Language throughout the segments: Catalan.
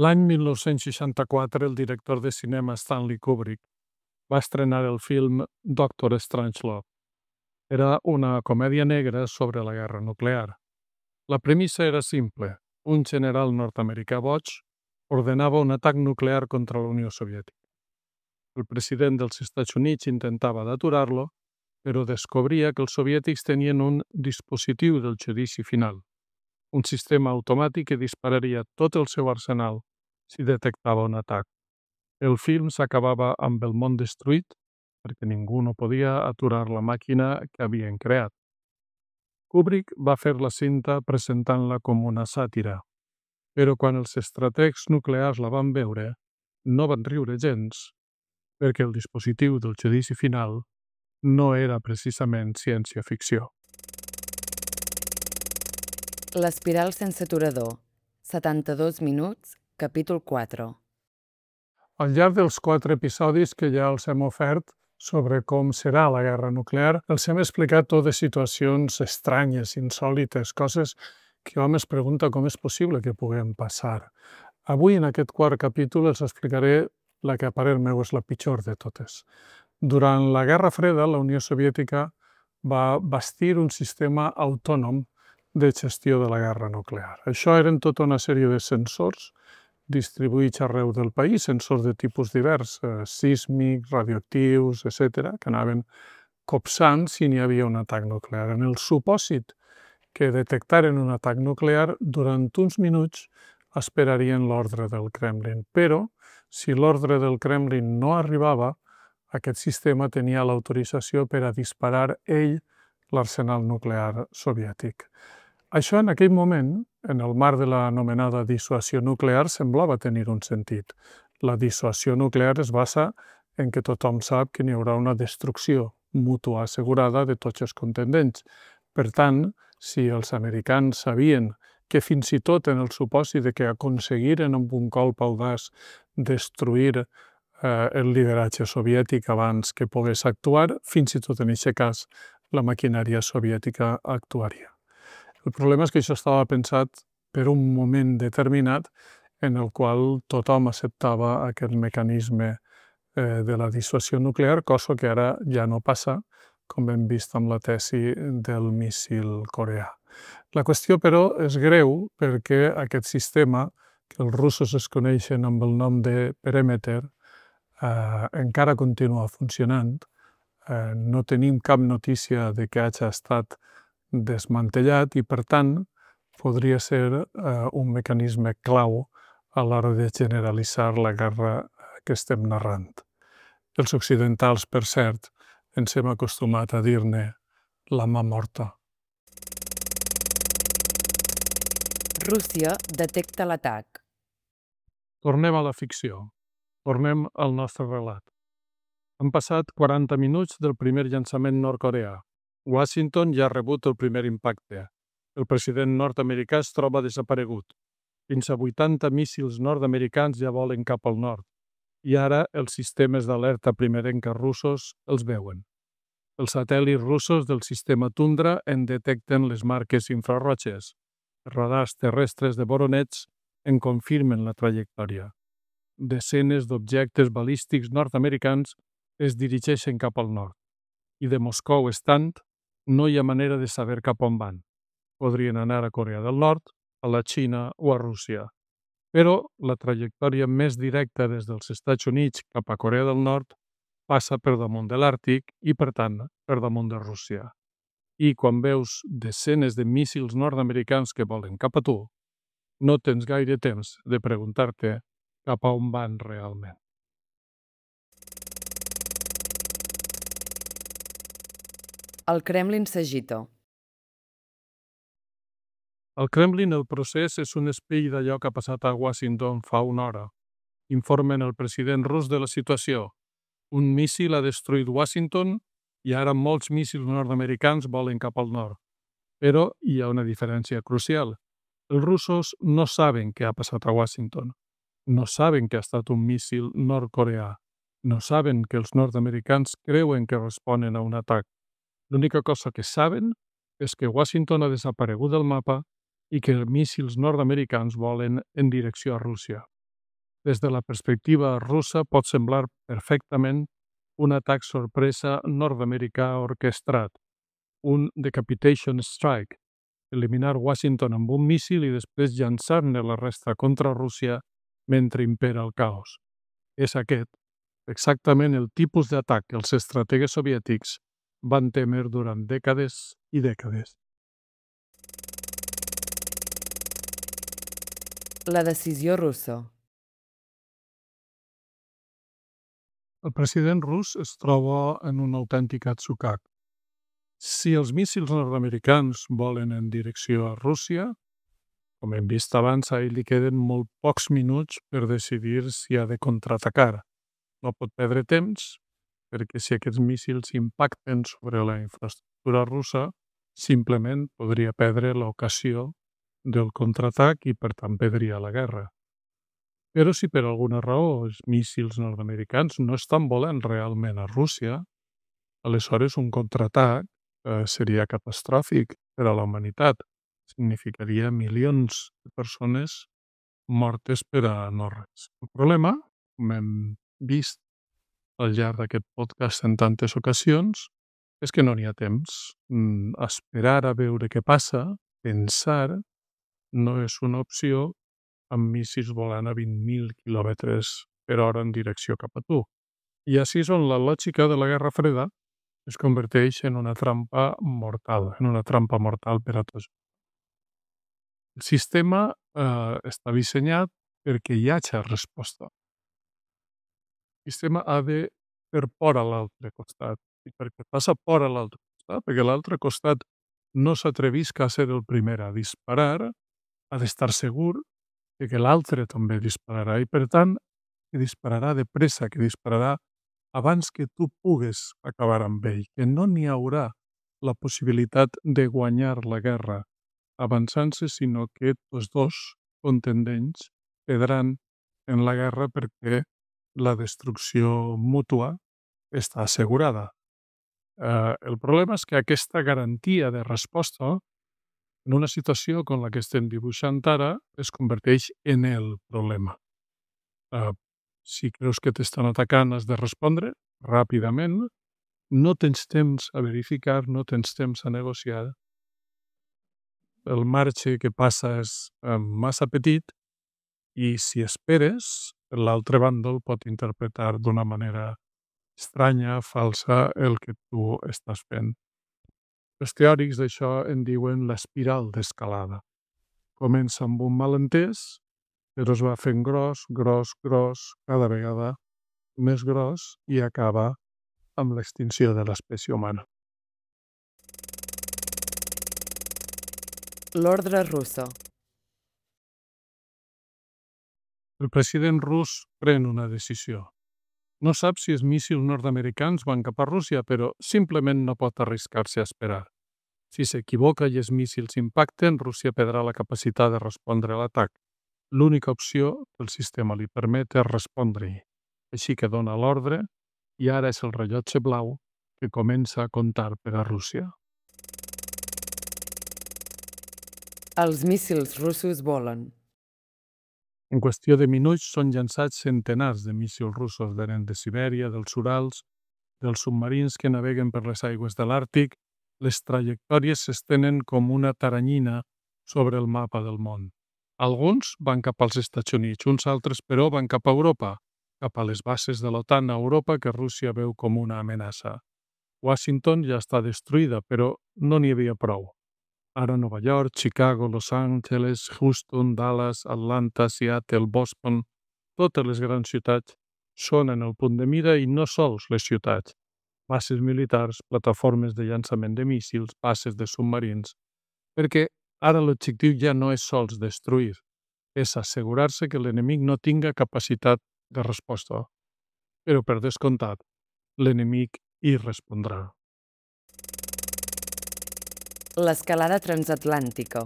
L'any 1964, el director de cinema Stanley Kubrick va estrenar el film Doctor Strangelove. Era una comèdia negra sobre la guerra nuclear. La premissa era simple. Un general nord-americà boig ordenava un atac nuclear contra la Unió Soviètica. El president dels Estats Units intentava d'aturar-lo, però descobria que els soviètics tenien un dispositiu del judici final, un sistema automàtic que dispararia tot el seu arsenal si detectava un atac. El film s'acabava amb el món destruït perquè ningú no podia aturar la màquina que havien creat. Kubrick va fer la cinta presentant-la com una sàtira, però quan els estrategs nuclears la van veure, no van riure gens, perquè el dispositiu del judici final no era precisament ciència-ficció. L'espiral sense aturador. 72 minuts, capítol 4. Al llarg dels 4 episodis que ja els hem ofert sobre com serà la guerra nuclear, els hem explicat totes situacions estranyes, insòlites, coses que hom es pregunta com és possible que puguem passar. Avui, en aquest quart capítol, els explicaré la que a parer meu és la pitjor de totes. Durant la Guerra Freda, la Unió Soviètica va bastir un sistema autònom de gestió de la guerra nuclear. Això eren tota una sèrie de sensors distribuïts arreu del país, sensors de tipus divers, sísmics, radioactius, etc., que anaven copsant si n'hi havia un atac nuclear. En el supòsit que detectaren un atac nuclear, durant uns minuts esperarien l'ordre del Kremlin. Però, si l'ordre del Kremlin no arribava, aquest sistema tenia l'autorització per a disparar ell l'arsenal nuclear soviètic. Això, en aquell moment, en el marc de l'anomenada dissuasió nuclear, semblava tenir un sentit. La dissuasió nuclear es basa en que tothom sap que n'hi haurà una destrucció mútua assegurada de tots els contendents. Per tant, si els americans sabien que fins i tot en el supòsit de que aconseguiren amb un colp audaç destruir el lideratge soviètic abans que pogués actuar, fins i tot en aquest cas la maquinària soviètica actuaria. El problema és que això estava pensat per un moment determinat en el qual tothom acceptava aquest mecanisme de la dissuasió nuclear, cosa que ara ja no passa, com hem vist amb la tesi del míssil coreà. La qüestió, però, és greu perquè aquest sistema, que els russos es coneixen amb el nom de Perèmeter, encara continua funcionant. No tenim cap notícia de que hagi estat desmantellat i, per tant, podria ser un mecanisme clau a l'hora de generalitzar la guerra que estem narrant. Els occidentals, per cert, ens hem acostumat a dir-ne la mà morta. Rússia detecta l'atac. Tornem a la ficció. Tornem al nostre relat. Han passat 40 minuts del primer llançament nord-coreà. Washington ja ha rebut el primer impacte. El president nord-americà es troba desaparegut. Fins a 80 míssils nord-americans ja volen cap al nord. I ara els sistemes d'alerta primerenca russos els veuen. Els satèl·lits russos del sistema Tundra en detecten les marques infrarroges. Els radars terrestres de Voronezh en confirmen la trajectòria. Desenes d'objectes balístics nord-americans es dirigeixen cap al nord. I de Moscou estant, no hi ha manera de saber cap on van. Podrien anar a Corea del Nord, a la Xina o a Rússia. Però la trajectòria més directa des dels Estats Units cap a Corea del Nord passa per damunt de l'Àrtic i, per tant, per damunt de Rússia. I quan veus desenes de míssils nord-americans que volen cap a tu, no tens gaire temps de preguntar-te cap a on van realment. El Kremlin s'agita. Al Kremlin el procés és un espill d'allò que ha passat a Washington fa una hora. Informen el president rus de la situació. Un míssil ha destruït Washington i ara molts míssils nord-americans volen cap al nord. Però hi ha una diferència crucial. Els russos no saben què ha passat a Washington. No saben que ha estat un míssil nord-coreà. No saben que els nord-americans creuen que responen a un atac. L'única cosa que saben és que Washington ha desaparegut del mapa i que els míssils nord-americans volen en direcció a Rússia. Des de la perspectiva russa pot semblar perfectament un atac sorpresa nord-americà orquestrat, un decapitation strike, eliminar Washington amb un míssil i després llançar-ne la resta contra Rússia mentre impera el caos. És aquest exactament el tipus d'atac que els estrategues soviètics van temer durant dècades i dècades. La decisió russa. El president rus es troba en un autèntic atzucac. Si els míssils nord-americans volen en direcció a Rússia, com hem vist abans, a ell li queden molt pocs minuts per decidir si ha de contraatacar. No pot perdre temps, perquè si aquests míssils impacten sobre la infraestructura russa, simplement podria perdre l'ocasió del contraatac i, per tant, perdria la guerra. Però si per alguna raó els míssils nord-americans no estan volant realment a Rússia, aleshores un contraatac seria catastròfic per a la humanitat. Significaria milions de persones mortes per a no res. El problema, com hem vist al llarg d'aquest podcast en tantes ocasions, és que no n'hi ha temps. Esperar a veure què passa, pensar, no és una opció amb míssils volant a 20.000 quilòmetres per hora en direcció cap a tu. I així és on la lògica de la Guerra Freda es converteix en una trampa mortal, per a tots. El sistema està dissenyat perquè hi hagi resposta. El sistema ha de fer por a l'altre costat. I perquè passa por a l'altre costat, perquè l'altre costat no s'atrevisca a ser el primer a disparar, ha d'estar segur que l'altre també dispararà i, per tant, que dispararà de pressa, que dispararà abans que tu pugues acabar amb ell, que no n'hi haurà la possibilitat de guanyar la guerra avançant-se, sinó que tots dos contendents perdran en la guerra perquè la destrucció mútua està assegurada. El problema és que aquesta garantia de resposta en una situació com la que estem dibuixant ara es converteix en el problema. Si creus que t'estan atacant has de respondre ràpidament, no tens temps a verificar, no tens temps a negociar, el marge que passa és massa petit i si esperes, l'altre bàndol pot interpretar d'una manera estranya, falsa, el que tu estàs fent. Els teòrics d'això en diuen l'espiral d'escalada. Comença amb un malentès, però es va fent gros, cada vegada més gros i acaba amb l'extinció de l'espècie humana. L'ordre russa. El president rus pren una decisió. No sap si els míssils nord-americans van cap a Rússia, però simplement no pot arriscar-se a esperar. Si s'equivoca i els míssils impacten, Rússia perdrà la capacitat de respondre a l'atac. L'única opció que el sistema li permet és respondre-hi. Així que dona l'ordre i ara és el rellotge blau que comença a comptar per a Rússia. Els míssils russos volen. En qüestió de minuts són llançats centenars de míssils russos venent de Sibèria, dels Urals, dels submarins que naveguen per les aigües de l'Àrtic. Les trajectòries s'estenen com una taranyina sobre el mapa del món. Alguns van cap als Estats Units, uns altres, però, van cap a Europa, cap a les bases de l'OTAN a Europa que Rússia veu com una amenaça. Washington ja està destruïda, però no n'hi havia prou. Ara Nova York, Chicago, Los Angeles, Houston, Dallas, Atlanta, Seattle, Boston, totes les grans ciutats són en el punt de mira i no sols les ciutats. Bases militars, plataformes de llançament de míssils, bases de submarins, perquè ara l'objectiu ja no és sols destruir, és assegurar-se que l'enemic no tinga capacitat de resposta. Però, per descomptat, l'enemic hi respondrà. L'escalada transatlàntica.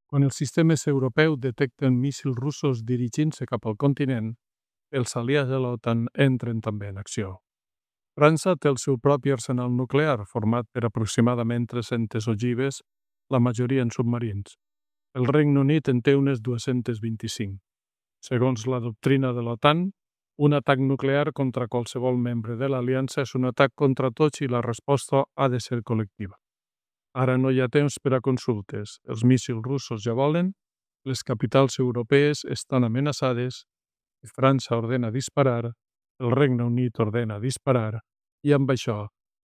Quan els sistemes europeus detecten míssils russos dirigint-se cap al continent, els aliats de l'OTAN entren també en acció. França té el seu propi arsenal nuclear, format per aproximadament 300 ogives, la majoria en submarins. El Regne Unit en té unes 225. Segons la doctrina de l'OTAN, un atac nuclear contra qualsevol membre de l'aliança és un atac contra tots i la resposta ha de ser col·lectiva. Ara no hi ha temps per a consultes. Els míssils russos ja volen, les capitals europees estan amenaçades, França ordena disparar, el Regne Unit ordena disparar i amb això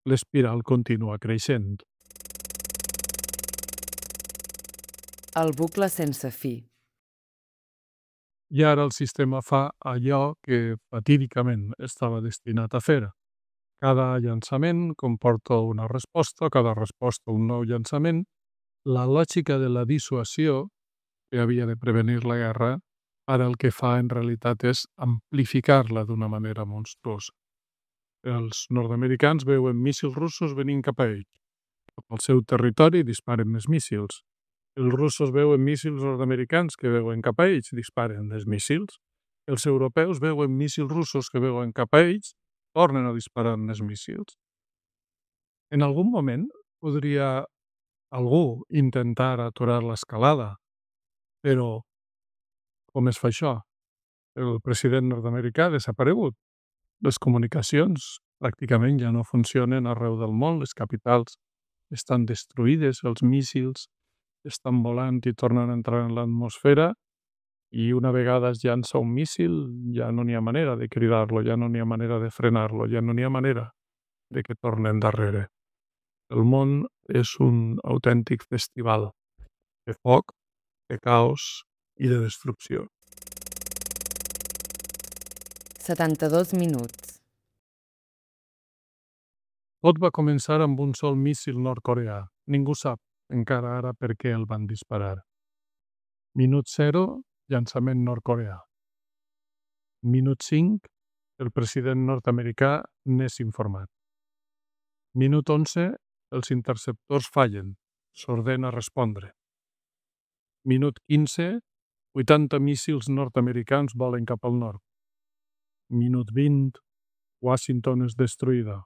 l'espiral continua creixent. El bucle sense fi. I ara el sistema fa allò que fatídicament estava destinat a fer. Cada llançament comporta una resposta, cada resposta un nou llançament. La lògica de la dissuasió, que havia de prevenir la guerra, ara el que fa en realitat és amplificar-la d'una manera monstruosa. Els nord-americans veuen míssils russos venint cap a ells. Al seu territori disparen més míssils. Els russos veuen míssils nord-americans que veuen cap a ells, disparen més míssils. Els europeus veuen míssils russos que veuen cap a ells, tornen a disparar més míssils. En algun moment podria algú intentar aturar l'escalada, però com es fa això? El president nord-americà ha desaparegut. Les comunicacions pràcticament ja no funcionen arreu del món, les capitals estan destruïdes, els míssils estan volant i tornen a entrar en l'atmosfera i una vegada es llança un míssil ja no n'hi ha manera de cridar-lo, ja no n'hi ha manera de frenar-lo, ja no n'hi ha manera de que torni endarrere. El món és un autèntic festival de foc, de caos i de destrucció. 72 minuts. Tot va començar amb un sol míssil nord-coreà. Ningú sap encara ara per què el van disparar. Minut 0, llançament nord-coreà. Minut 5, el president nord-americà n'és informat. Minut 11, els interceptors fallen, s'ordena respondre. Minut 15, 80 míssils nord-americans volen cap al nord. Minut 20, Washington és destruïda.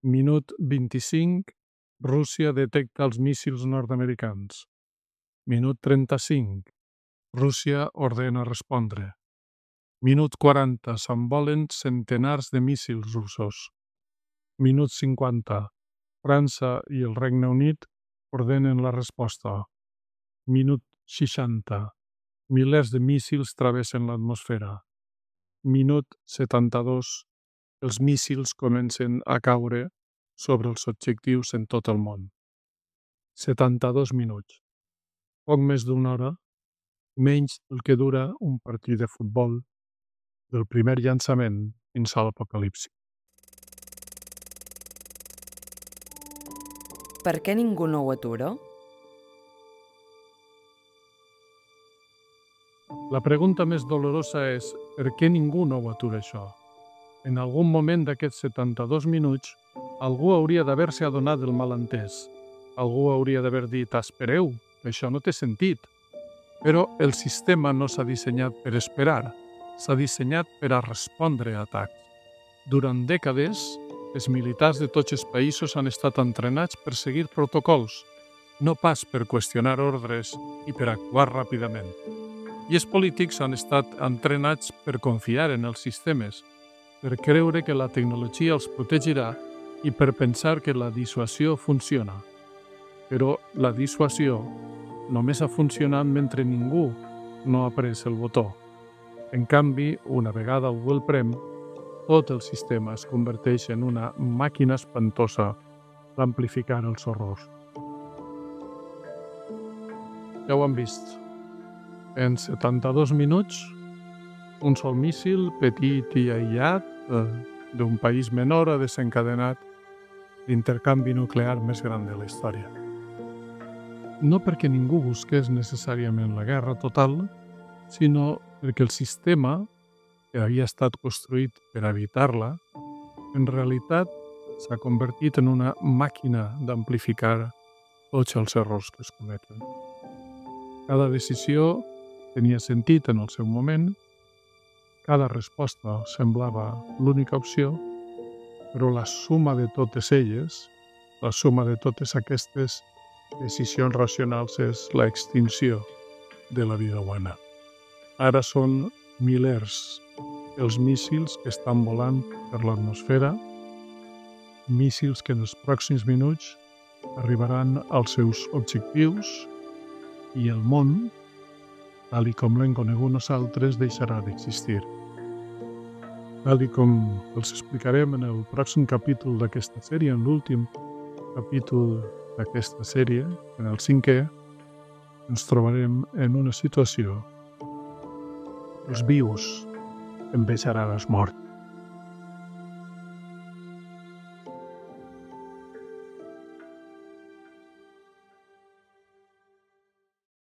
Minut 25, Rússia detecta els míssils nord-americans. Minut 35, Rússia ordena respondre. Minut 40, s'envolen centenars de míssils russos. Minut 50, França i el Regne Unit ordenen la resposta. Minut 60, milers de míssils travessen l'atmosfera. Minut 72, els míssils comencen a caure sobre els objectius en tot el món. 72 minuts. Poc més d'una hora, menys el que dura un partit de futbol del primer llançament fins a l'apocalipsi. Per què ningú no ho atura? La pregunta més dolorosa és per què ningú no ho atura això? En algun moment d'aquests 72 minuts, algú hauria d'haver-se adonat del malentès. Algú hauria d'haver dit, espereu, això no té sentit. Però el sistema no s'ha dissenyat per esperar, s'ha dissenyat per a respondre a atacs. Durant dècades, els militars de tots els països han estat entrenats per seguir protocols, no pas per qüestionar ordres i per actuar ràpidament. I els polítics han estat entrenats per confiar en els sistemes, per creure que la tecnologia els protegirà i per pensar que la dissuasió funciona. Però la dissuasió només ha funcionat mentre ningú no ha pres el botó. En canvi, una vegada algú el prem, tot el sistema es converteix en una màquina espantosa d'amplificar els horrors. Ja ho han vist. En 72 minuts, un sol míssil, petit i aïllat, d'un país menor ha desencadenat l'intercanvi nuclear més gran de la història. No perquè ningú busqués necessàriament la guerra total, sinó perquè el sistema, que havia estat construït per evitar-la, en realitat s'ha convertit en una màquina d'amplificar tots els errors que es cometen. Cada decisió tenia sentit en el seu moment, cada resposta semblava l'única opció, però la suma de totes elles, la suma de totes aquestes decisions racionals és l'extinció de la vida humana. Ara són milers els míssils que estan volant per l'atmosfera, míssils que en els pròxims minuts arribaran als seus objectius i el món, tal com l'hem conegut nosaltres, deixarà d'existir. Tal com els explicarem en el pròxim capítol d'aquesta sèrie, en l'últim capítol d'aquesta sèrie, en el 5è, ens trobarem en una situació. Els vius envejaran els morts.